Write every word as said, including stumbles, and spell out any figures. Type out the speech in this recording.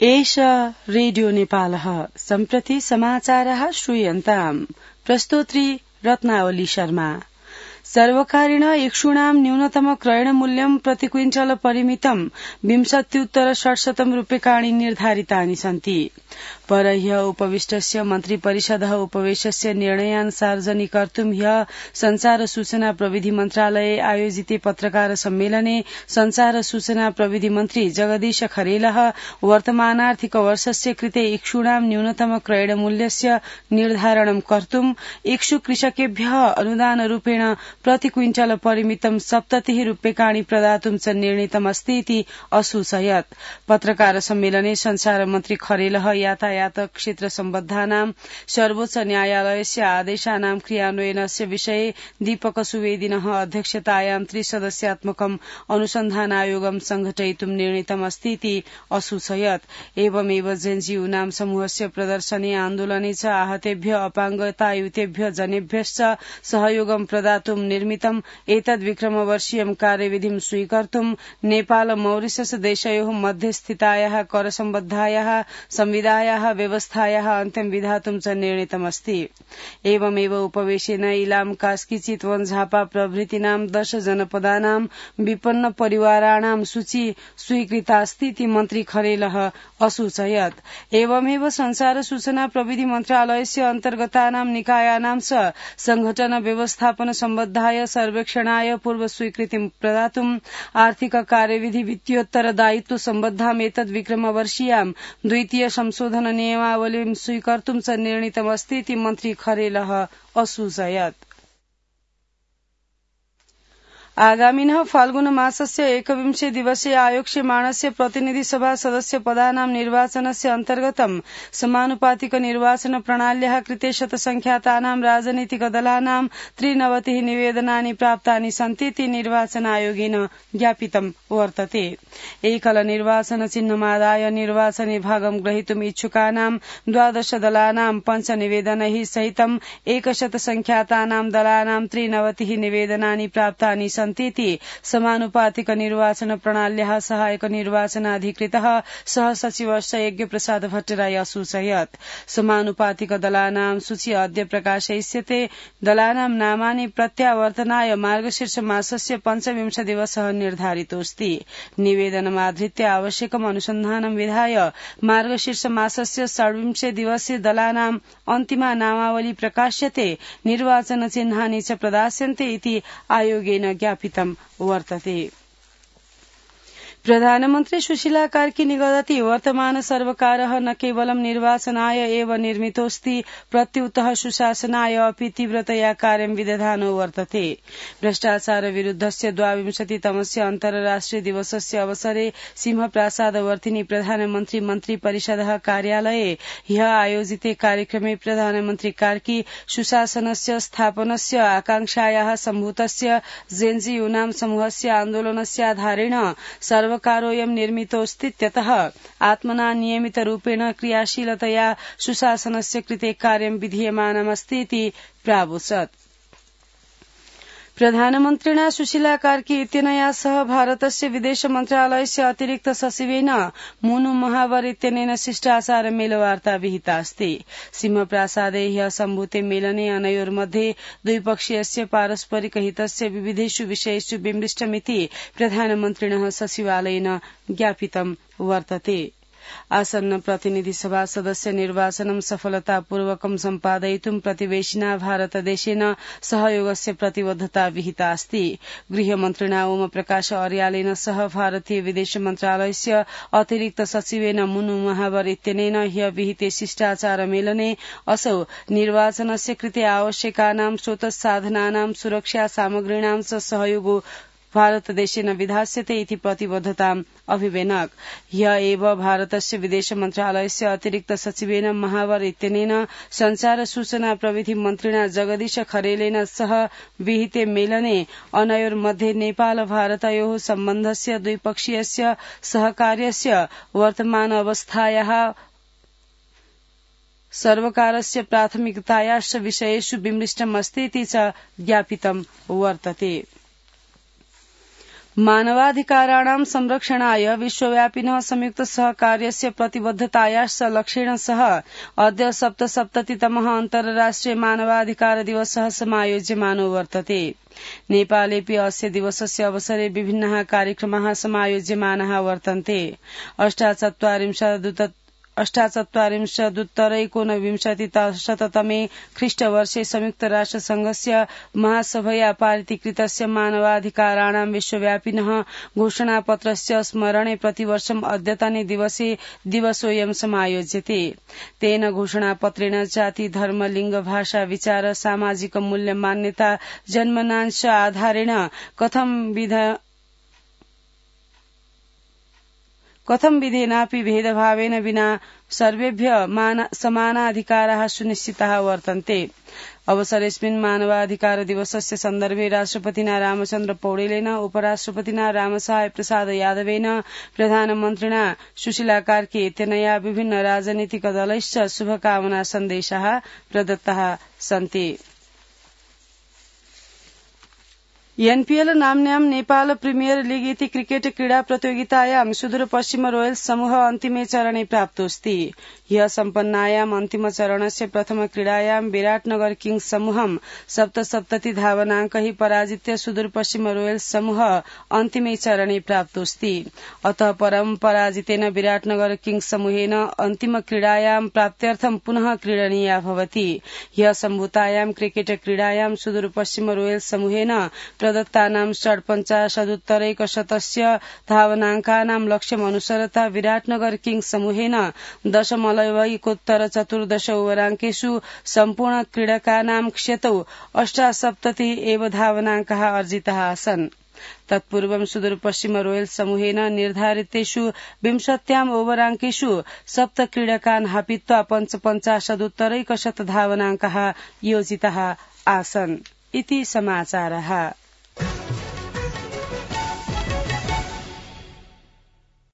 एष रेडियो नेपालः सम्प्रति समाचारः श्रूयन्ताम्। प्रस्तोत्री रत्नावली शर्मा। सर्वकारेण इक्षूणां न्यूनतम क्रयणमूल्यं प्रति क्विंटल परिमितं विंशत्युत्तर षट्शतं रूप्यकाणि निर्धारितानि सन्ति। परह्य उपविष्टस्य मन्त्रिपरिषदः उपवेशस्य निर्णयान् सार्वजनिकर्तुं ह्यः संचार सूचना प्रविधि मन्त्रालये आयोजिते पत्रकार सम्मेलने संचार सूचना प्रविधि मन्त्री जगदीश खरेलः वर्तमानार्थिक वर्षस्य कृते इक्षूणां न्यूनतम क्रयणमूल्यस्य निर्धारणं कर्तुं इक्षु कृषकेभ्यः अनुदानरूपेण प्रति क्विंटल परिमितं सप्ततिः रूप्यकाणि प्रदातुं च निर्णीतमस्ति इति असूचयत्। पत्रकार सम्मेलने संचार मन्त्री खरेलः यातायात क्षेत्र सम्बद्धानां सर्वोच्च न्यायालयस्य आदेशानां क्रियान्वयनस्य विषये दीपक सुवेदिनः अध्यक्षतायां त्रिसदस्यात्मकम् अनुसन्धानायोगं संघटयितुं निर्णीतमस्ति इति असूचयत्। एवमेव जेएनयू समूहस्य प्रदर्शने आन्दोलने च आहतेभ्य अपाङ्गतायुतेभ्य जनेभ्यश्च सहयोगं प्रदातुं निर्मितम् एतद् विक्रमवर्षीयं कार्यविधिं स्वीकर्तुं नेपाल मॉरिशस देशयोः मध्ये स्थितायाः करसम्बद्धायाः संविदायाः व्यवस्थायाः अन्त्यं विधातुं च निर्णीतमस्ति। एवमेव उपवेशेन इलाम कास्की चितवन झापा प्रभृतीनां दश जनपदानां विपन्न परिवाराणां सूची स्वीकृतास्ति इति मन्त्री खरेलः असूचयत्। एवमेव संचार सूचना प्रविधि मन्त्रालयस्य अन्तर्गतानां निकायानां च संघटन व्यवस्थापन सम्बद्धाय सर्वेक्षणाय पूर्व स्वीकृतिं प्रदातुं आर्थिक कार्यविधि वित्तीयोत्तर दायित्व सम्बद्धाम् एतद् विक्रमवर्षीयां द्वितीय संशोधन नियमावलीं स्वीकर्तुं च निर्णीतमस्ति इति मन्त्री खरेलः असूचयत्। आगामिनः फाल्गुन मासस्य एकविंशे दिवसे आयोक्ष्यमाणस्य प्रतिनिधि सभा सदस्य पदानां निर्वाचनस्य अन्तर्गतं समानुपातिक निर्वाचन प्रणाल्याः कृते शतसंख्यातानां राजनीतिक दलानां त्रिनवतिः निवेदनानि प्राप्तानि सन्ति इति निर्वाचन आयोगेन ज्ञापितं वर्तते। एकल निर्वाचन चिह्नमादाय निर्वाचने भागं ग्रहीतुम् इच्छुकानां द्वादश दलानां पञ्च निवेदनैः सहितं एकशतसंख्यातानां दलानां त्रिनवतिः निवेदनानि प्राप्तानि सन्ति इति समानुपातिक निर्वाचन प्रणाल्याः सहायक निर्वाचनाधिकृतः सह सचिव यज्ञ प्रसाद भट्टराई असूचयत्। समानुपातिक दलानां सूची अद्य प्रकाशयिष्यते। दलानां नामानि प्रत्यावर्तनाय मार्गशीर्ष मासस्य पञ्चविंश दिवसः निर्धारितोऽस्ति। निवेदनमाधृत्य आवश्यकम् अनुसन्धानं विधाय मार्गशीर्ष मासस्य षड्विंशे दिवसे दलानां अन्तिमा नामावली प्रकाश्यते। निर्वाचन चिह्नानि च प्रदास्यन्ते इति आयोगेन ज्ञापितं वर्तते। प्रधानमन्त्री सुशीला कार्की निगदति वर्तमान सर्वकारः न केवलं निर्वाचनाय एव निर्मितोऽस्ति प्रत्युतः सुशासनाय अपि तीव्रतया कार्यं विदधानो वर्तते। भ्रष्टाचार विरुद्धस्य द्वाविंशतितमस्य अन्तर्राष्ट्रिय दिवसस्य अवसरे सिंहप्रासादवर्तिनि प्रधानमन्त्री मन्त्री परिषदः कार्यालये ह्यः आयोजिते कार्यक्रमे प्रधानमन्त्री कार्की सुशासनस्य स्थापनस्य आकांक्षायाः सम्भूतस्य जेएनयू समूहस्य आन्दोलनस्याधारेण सर्वकारोऽयं निर्मितोऽस्तीत्यतः आत्मना नियमितरूपेण क्रियाशीलतया सुशासनस्य कृते कार्यं विधीयमानमस्ति इति प्रावोचत्। प्रधानमन्त्रिणा सुशीला कार्की इत्यनया सह भारतस्य विदेश मन्त्रालयस्य अतिरिक्त सचिवेन मोनु महावर इत्यनेन शिष्टाचार मेलवार्ता विहिता अस्ति। सिंहप्रासादे ह्यः सम्भूते मेलने अनयोर्मध्ये द्विपक्षीयस्य पारस्परिक हितस्य विविधेषु विषयेषु विमृष्टमिति प्रधानमन्त्रिणः सचिवालयेन ज्ञापितं वर्तते। आसन्न प्रतिनिधि सभा सदस्य निर्वाचनं सफलतापूर्वकं सम्पादयितुं प्रतिवेशिना भारतदेशेन सहयोगस्य प्रतिबद्धता विहिता अस्ति। गृहमन्त्रिणा ओम प्रकाश अर्यालेन सह भारतीय विदेश मन्त्रालयस्य अतिरिक्त सचिवेन मुनु महावर इत्यनेन ह्यः विहिते शिष्टाचार मेलने असौ निर्वाचनस्य कृते आवश्यकानां स्रोतसाधनानां सुरक्षा सामग्रीणां च सहयोगो भारतदेशेन विधास्यते इति प्रतिबद्धताम् अभिवेनक। ह्यः एव भारतस्य विदेश मन्त्रालयस्य अतिरिक्त सचिवेन महावर इत्यनेन संचार सूचना प्रविधि मन्त्रिणा जगदीश खरेलेन सह विहिते मेलने अनयोर्मध्ये नेपाल भारतयोः सम्बन्धस्य द्विपक्षीयस्य सहकार्यस्य वर्तमान अवस्थायाः सर्वकारस्य प्राथमिकतायाश्च विषयेषु विमृष्टमस्ति इति च ज्ञापितं वर्तते। मानवाधिकाराणां संरक्षणाय विश्वव्यापिनः संयुक्त सहकार्यस्य प्रतिबद्धतायाश्च लक्ष्येण सह अद्य सप्तसप्ततितमः अन्तर्राष्ट्रिय मानवाधिकार दिवसः समायोज्यमानो वर्तते। नेपालेऽपि अस्य दिवसस्य अवसरे विभिन्नाः कार्यक्रमाः समायोज्यमानाः वर्तन्ते। अष्टाचत्वारिंशदुत्तर अष्टाचत्वारिंशदुत्तरैकोनविंशतिशततमे ख्रीष्टवर्षे संयुक्तराष्ट्रसंघस्य महासभया पारितीकृतस्य मानवाधिकाराणां विश्वव्यापिनः घोषणापत्रस्य स्मरणे प्रतिवर्षम् अद्यतने दिवसे दिवसोऽयं समायोज्यते। तेन घोषणापत्रेण जाति धर्म लिंग भाषा विचार सामाजिक मूल्य मान्यता जन्मनांश आधारेण कथं विध कथं विधेनापि भेदभावेन विना सर्वेभ्यः समानाधिकाराः सुनिश्चिताः वर्तन्ते। अवसरेऽस्मिन् मानवाधिकार दिवसस्य सन्दर्भे राष्ट्रपतिना रामचन्द्र पौडेलेन उपराष्ट्रपतिना रामसहाय प्रसाद यादवेन प्रधानमन्त्रिणा सुशीला कार्की इत्यनया विभिन्न राजनीतिक दलैश्च शुभकामना सन्देशाः प्रदत्ताः सन्ति। एनपीएल नाम्न्यां नेपाल प्रीमियर लीग इति क्रिकेट क्रीडा प्रतियोगितायां सुदूरपश्चिम रोयल्स समूह अन्तिमे चरणे प्राप्तोऽस्ति। ह्यः सम्पन्नायाम् अन्तिमचरणस्य प्रथम क्रीडायां विराटनगर किंग्स समूहं सप्तसप्तति धावनांकैः पराजित्य सुदूरपश्चिम रोयल्स समूह अन्तिमे चरणे प्राप्तोऽस्ति। अतः परं पराजितेन विराटनगर किंग्स समूहेन अन्तिम क्रीडायां प्राप्त्यर्थं पुनः क्रीडनीया भवति। ह्यः सम्भूतायां क्रिकेट क्रीडायां सुदूरपश्चिम रोयल्स समूहेन प्रदत्तानां षड्पञ्चाशदुत्तरैकशतस्य धावनांकानां लक्ष्यमनुसरता विराटनगर किंग्स समूहेन दशमलवैकोत्तर चतुर्दश ओवरांकेषु सम्पूर्ण क्रीडकानां क्षतौ अष्टासप्तति एव धावनांकाः अर्जिताः आसन्। तत्पूर्वं सुदूरपश्चिम रोयल्स समूहेन निर्धारितेषु विंशत्याम् ओवरांकेषु सप्त क्रीडकान् हापित्वा पञ्चपञ्चाशदुत्तरैकशत धावनांकाः योजिताः आसन्। इति समाचारः।